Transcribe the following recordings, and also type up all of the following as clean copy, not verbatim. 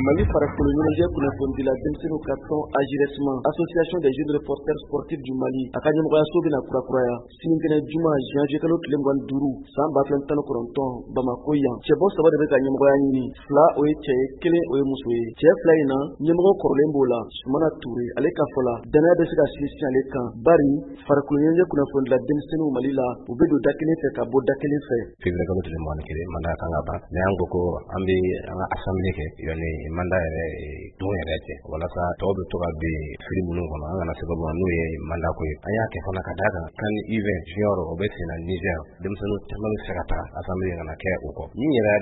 Mali farikolo ɲɛnajɛ kunnafonidila denmisɛnninw ka tɔn AJRESMA, Association des jeunes reporters sportifs du Mali, a ka ɲɛmɔgɔyaso bɛna kurakuraya sinikɛnɛ juma janvier kalo tile 25 san 2019 Bamako yan. Cɛbɔ saba de bɛ ka ɲɛmɔgɔya ɲini, fila o ye cɛ ye, kelen o ye muso ye. Cɛ fila in na, ɲɛmɔgɔ kɔrɔlen b'o la, Sumana Ture. Ale ka fɔ la, danaya bɛ se ka sinsin ale kan, bari farikolo ɲɛnajɛ kunnafonidila denmisɛnninw Mali la, u bɛ don da kelen fɛ ka bɔ da kelen fɛ. Février kalo tile 21, mandat kan ka ban, mais an ko ko an bɛ an ka assemblée kɛ yanni mandat yɛrɛ don yɛrɛ cɛ, walasa tɔw bɛ to ka bin fili minnu kɔnɔ, an kana se ka bɔ n'o ye mandat ko ye. An y'a kɛ fana ka d'a kan CAN U20 junior, o bɛ sen na Niger, denmisɛnnin caman bɛ se ka taa assemblée kana kɛ o kɔ. Min yɛrɛ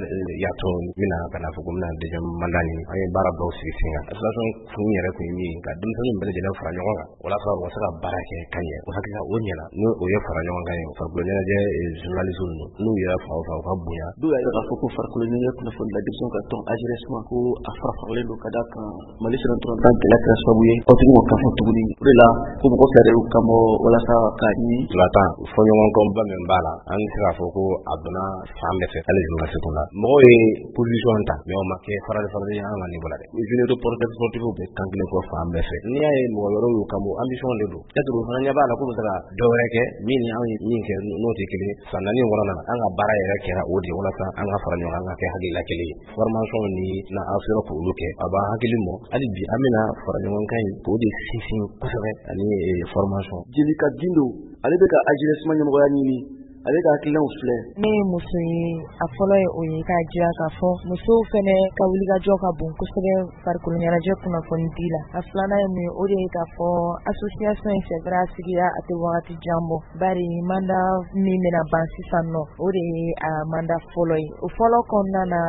y'a to n bɛna ka na fɔ ko n bɛna deuxième mandat ɲini, an ye baara dɔw sigi sen kan. Association kun yɛrɛ kun ye min ye, ka denmisɛnninw bɛɛ lajɛlen fara ɲɔgɔn kan walasa u ka se ka baara kɛ ka ɲɛ. O hakilila o ɲɛna, n'o o ye fara ɲɔgɔn kan ye, farikolo ɲɛnajɛ journaliste ninnu, n'u yɛrɛ fa o fa, u ka bonya. Dɔw y'a yira k'a fɔ ko farikolo ɲɛnajɛ kunnafonidila denmisɛnninw ka tɔn AJRESMA, ko a fara faralen don ka d'a kan Mali sera tan gɛlɛya kɛra sababu ye aw tigi ma kan fɔ tuguni. O de la ko mɔgɔ fila de y'u kan bɔ walasa k'a ɲini. Ntolantan fɔɲɔgɔnkɔba min b'a la, an bɛ se k'a fɔ ko a donna fan bɛɛ fɛ, hali journaliste kun la. Mɔgɔw ye position ta, mais o ma kɛ farali farali ye an ka niveau la dɛ. Jeunes reporters sportifs bɛ kan kelen fɔ fan bɛɛ fɛ. N'i y'a ye mɔgɔ wɛrɛw y'u kan bɔ, ambition de don. Peut-être o fana ɲɛ b'a la k'u bɛ se ka dɔ wɛrɛ kɛ min ni anw ye min kɛ n'o tɛ kelen ye. San 4 in kɔnɔna na, an ka baara yɛrɛ kɛra o de ye, walasa an ka fara ɲɔgɔn kan, an ka kɛ hakilila kelen ye. Formation ni na an sera k'olu kɛ, a b'an hakili mɔ. Hali bi an bɛna fara ɲɔgɔn kan in k'o de sinsin kosɛbɛ, ani formation. Jelika Gindo, ale bɛ ka AJRESMA ɲɛmɔgɔya ɲini, ale ka hakilinaw filɛ. Ne ye muso ye, a fɔlɔ ye o ye k'a jira k'a fɔ musow fɛnɛ ka wulikajɔ ka bon kosɛbɛ farikolo ɲɛnajɛ kunnafoni di la. A filanan ye mun ye, o de ye k'a fɔ association in, c'est vrai, a sigira a tɛ wagati jan bɔ, bari mandat min bɛna ban sisan nɔ, o de ye a mandat fɔlɔ ye. O fɔlɔ kɔnɔna na,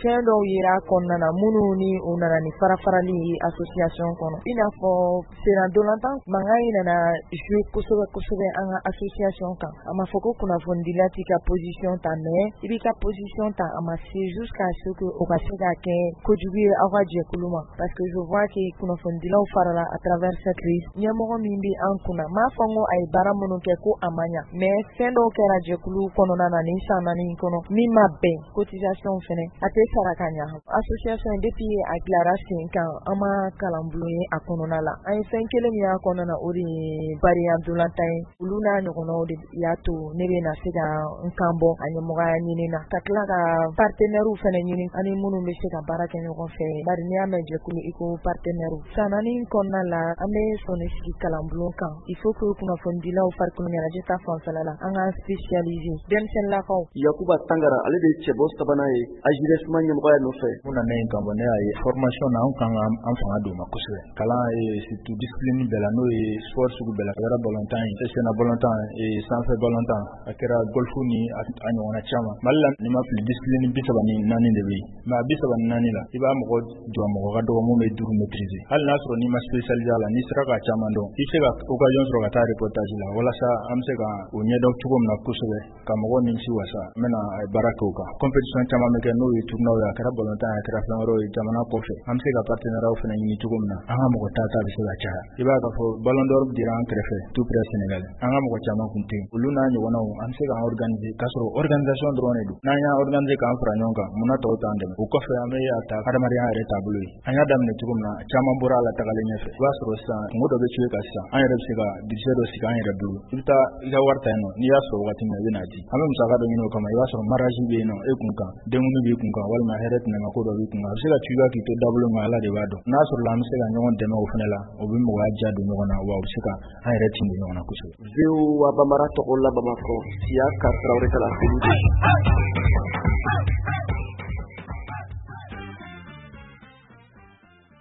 fɛn dɔw yera a kɔnɔna na minnu ni o nana ni fara-farali ye association kɔnɔ, i n'a fɔ senna ntolantan mankan in nana jouer kosɛbɛ kosɛbɛ an ka association kan. A ma fɔ ko kunnafonidila t'i ka position ta, mais i b'i ka position ta, a ma se jusqu'à ce que o ka se ka kɛ kojugu ye aw ka jɛkulu ma, parce que je vois que kunnafonidilaw farala à travers cette crise. Ɲɛmɔgɔ min bɛ an kunna, m'a fɔ n ko a ye baara minnu kɛ ko a ma ɲa, mais fɛn dɔw kɛra jɛkulu kɔnɔna na nin san 4 in kɔnɔ min ma bɛn. Cotisation fɛnɛ a tɛ sara ka ɲa. Association, depuis a dilara sen kan, an ma kalanbulon ye a kɔnɔna la. An ye fɛn kelen min y'a kɔnɔna na, o de ye bariya ntolantan ye. Olu n'a ɲɔgɔnnaw de y'a to ne bɛ na se ka n kan bɔ a ɲɛmɔgɔya ɲini na, ka tila ka partenaires fɛnɛ ɲini ani minnu bɛ se ka baara kɛ ɲɔgɔn fɛ, bari n'i y'a mɛn jɛkulu, i ko partenaire. San 4 in kɔnɔna la, an bɛ sɔnni sigi kalanbulon kan. Il faut que kunnafonidilaw farikolo ɲɛnajɛ ta fanfɛla la, an k'an spécialiser denmisɛnninlakaw. Yakuba Tangara, ale de ye cɛbɔ sabanan ye AJRESMA ɲɛmɔgɔya nɔfɛ. Mun nana yen kan bɔ, ne y'a ye formation na, anw kan ka an fanga don o ma kosɛbɛ. Kalan ye surtout discipline bɛɛ la, n'o ye sport sugu bɛɛ la, a kɛra balontan ye, senna balontan, sanfɛ balontan, a kɛra golf ni a ɲɔgɔnna caman. Mali la, ni ma fili, discipline 34 de bɛ yen, mais a 34 la, i b'a mɔgɔ jɔ, mɔgɔ ka dɔgɔ mun bɛ duuru maîtriser. Hali n'a sɔrɔ n'i ma spécialisé a la, n'i sera ka caman dɔn, i bɛ se ka occasion sɔrɔ ka taa reportage la, walasa an bɛ se ka o ɲɛdɔn cogo min na kosɛbɛ, ka mɔgɔw nimisi wasa. N bɛna baara kɛ o kan. Compétition caman bɛ kɛ, n'o ye tournoi ye, a kɛra balontan ye, a kɛra fɛn wɛrɛw ye jamana kɔfɛ, an bɛ se ka partenariat fana ɲini cogo min na an ka mɔgɔ ta bɛ se ka caya. I b'a ye k'a fɔ ballon d'or dira an kɛrɛfɛ, tout près Sénégal, an ka mɔgɔ caman kun tɛ yen. Olu n'a ɲɔgɔnnaw, an bɛ se k'an organiser, k'a sɔrɔ organisation dɔrɔn de don. N'an y'an organiser k'an fara ɲɔgɔn kan, munna tɔw t'an dɛmɛ? O kɔfɛ, an bɛ a ta adamadenya yɛrɛ taabolo ye. An y'a daminɛ cogo min na, caman bɔra a la tagalen ɲɛfɛ. I b'a sɔrɔ sisan kungo dɔ bɛ ci kan sisan, an yɛrɛ bɛ se ka budget dɔ sigi an yɛrɛ bolo. I bɛ taa i ka wari ta yen nɔ, n'i y'a sɔrɔ wagati min na, i bɛ n'a di. An bɛ musaka dɔ ɲini o kama. I b'a sɔrɔ mariage bɛ yen nɔ e kun kan, denkundi b'i kun kan, walima hɛrɛ tɛnɛma ko dɔ b'i kun kan, a bɛ se ka tu k'i to dabolo min, Ala de b'a dɔn. N'a sɔrɔ la an bɛ se ka ɲɔgɔn dɛmɛ o fana la, o bɛ mɔgɔya diya don ɲɔgɔn na, wa o bɛ se ka an yɛrɛ tin don ɲɔgɔn na kosɛbɛ. VOA Bambara tɔgɔ la Bamakɔ, Siyaka Tarawele ka laseli.